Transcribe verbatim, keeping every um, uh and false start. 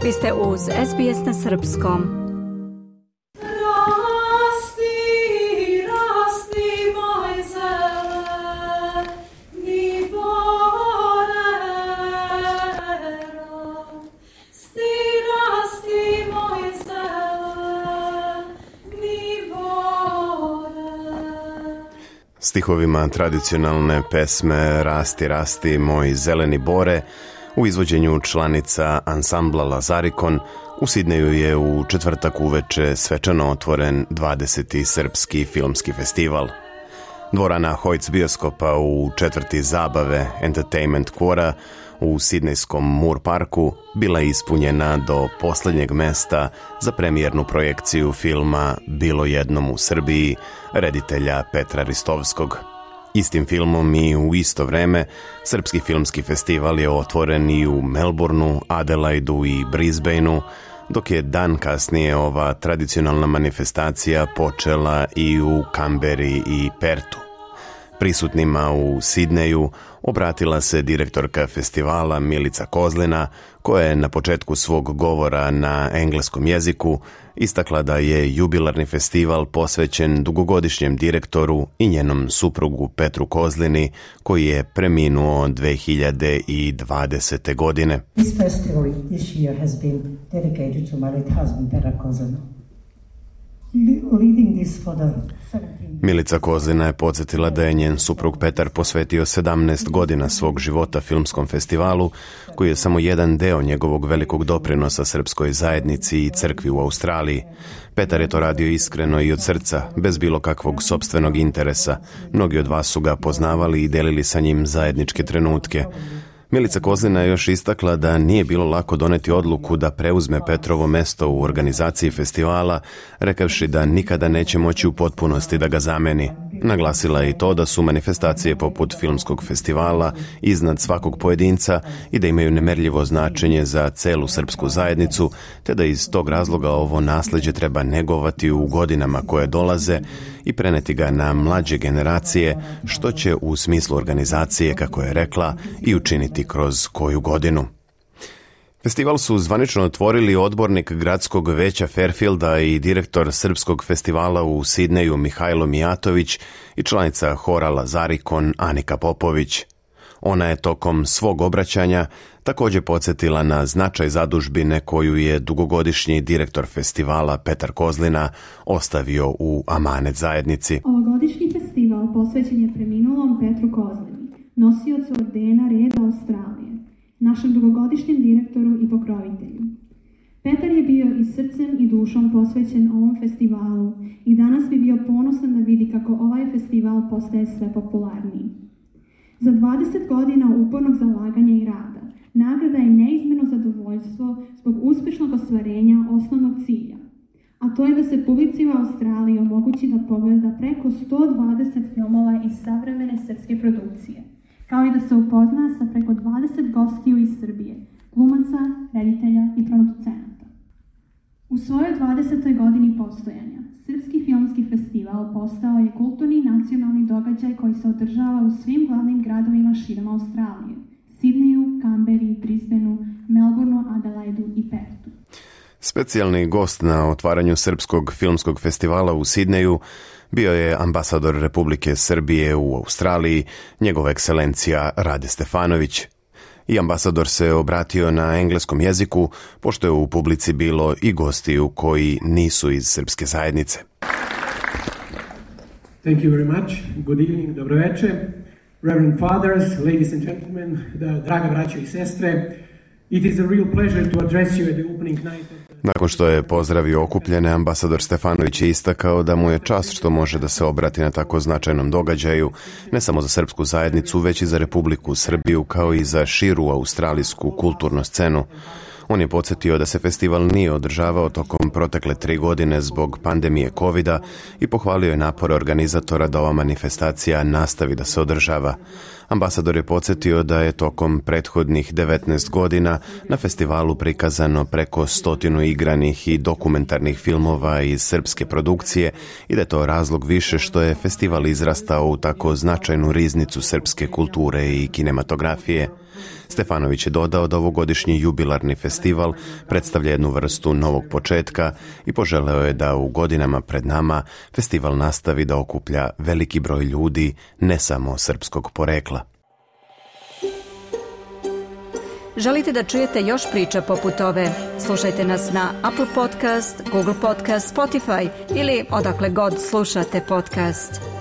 Vi ste uz S B S na srpskom. Stihovima tradicionalne pesme Rasti, rasti, moj zeleni bore u izvođenju članica ansambla Lazarikon u Sidneju je u četvrtak uveče svečano otvoren dvadeseti srpski filmski festival. Dvorana Hojc bioskopa u četvrti zabave Entertainment Quora u sidnejskom Moore Parku bila je ispunjena do posljednjeg mesta za premijernu projekciju filma Bilo jednom u Srbiji reditelja Petra Ristovskog. Istim filmom i u isto vreme Srpski filmski festival je otvoren i u Melbourneu, Adelaidu i Brisbaneu, dok je dan kasnije ova tradicionalna manifestacija počela i u Kamberi i Pertu. Prisutnima u Sidneju obratila se direktorka festivala Milica Kozlina, koja je na početku svog govora na engleskom jeziku istakla da je jubilarni festival posvećen dugogodišnjem direktoru i njenom suprugu Petru Kozlini, koji je preminuo dve hiljade dvadesete. godine. This festival this year has been dedicated to my late husband Petar Kozlina. Milica Kozlina je podsjetila da je njen suprug Petar posvetio sedamnaest godina svog života filmskom festivalu, koji je samo jedan deo njegovog velikog doprinosa srpskoj zajednici i crkvi u Australiji. Petar je to radio iskreno i od srca, bez bilo kakvog sopstvenog interesa. Mnogi od vas su ga poznavali i delili sa njim zajedničke trenutke. Milica Kozlina je još istakla da nije bilo lako doneti odluku da preuzme Petrovo mesto u organizaciji festivala, rekavši da nikada neće moći u potpunosti da ga zameni. Naglasila je i to da su manifestacije poput filmskog festivala iznad svakog pojedinca i da imaju nemerljivo značenje za celu srpsku zajednicu, te da iz tog razloga ovo nasleđe treba negovati u godinama koje dolaze i preneti ga na mlađe generacije, što će u smislu organizacije, kako je rekla, i učiniti kroz koju godinu. Festival su zvanično otvorili odbornik gradskog veća Fairfielda i direktor srpskog festivala u Sidneju Mihajlo Mijatović i članica hora Lazarikon Anika Popović. Ona je tokom svog obraćanja također podsjetila na značaj zadužbine koju je dugogodišnji direktor festivala Petar Kozlina ostavio u amanet zajednici. Ovogodišnji festival posvećen je preminulom Petru Kozlini, nosiocu ordena Reda Australije, našem dugogodišnjem direktoru i pokrovitelju. Petar je bio i srcem i dušom posvećen ovom festivalu i danas bi bio ponosan da vidi kako ovaj festival postaje sve popularniji. Za dvadeset godina upornog zalaganja i rada, nagrada je neizmjerno zadovoljstvo zbog uspješnog ostvarenja osnovnog cilja, a to je da se publici u Australiji omogući da pogleda preko sto dvadeset filmova iz savremene srpske produkcije, kao i da se upozna sa preko dvadeset gostiju iz Srbije, glumaca, reditelja i producenata. U svojoj dvadesetoj godini postojanja, Srpski filmski festival postao je kulturni nacionalni događaj koji se održava u svim glavnim gradovima širom Australije, Sidneju, Kamberi, Brisbaneu, Melbourneu, Adelaidu i Pertu. Specijalni gost na otvaranju Srpskog filmskog festivala u Sidneju bio je ambasador Republike Srbije u Australiji, njegova ekscelencija Rade Stefanović. I ambasador se obratio na engleskom jeziku, pošto je u publici bilo i gostiju koji nisu iz srpske zajednice. Thank you very much. Good evening, dobro večer. Reverend fathers, ladies and gentlemen, draga braćo i sestre, it is a real pleasure to address you at the opening night. Nakon što je pozdravio okupljene, ambasador Stefanović je istakao da mu je čast što može da se obrati na tako značajnom događaju, ne samo za srpsku zajednicu, već i za Republiku Srbiju, kao i za širu australijsku kulturnu scenu. On je podsjetio da se festival nije održavao tokom protekle tri godine zbog pandemije kovida i pohvalio je napore organizatora da ova manifestacija nastavi da se održava. Ambasador je podsjetio da je tokom prethodnih devetnaest godina na festivalu prikazano preko stotinu igranih i dokumentarnih filmova iz srpske produkcije i da je to razlog više što je festival izrastao u tako značajnu riznicu srpske kulture i kinematografije. Stefanović je dodao da ovogodišnji jubilarni festival predstavlja jednu vrstu novog početka i poželeo je da u godinama pred nama festival nastavi da okuplja veliki broj ljudi, ne samo srpskog porekla. Želite da čujete još priča poput ove? Slušajte nas na Apple Podcast, Google Podcast, Spotify ili odakle god slušate podcast.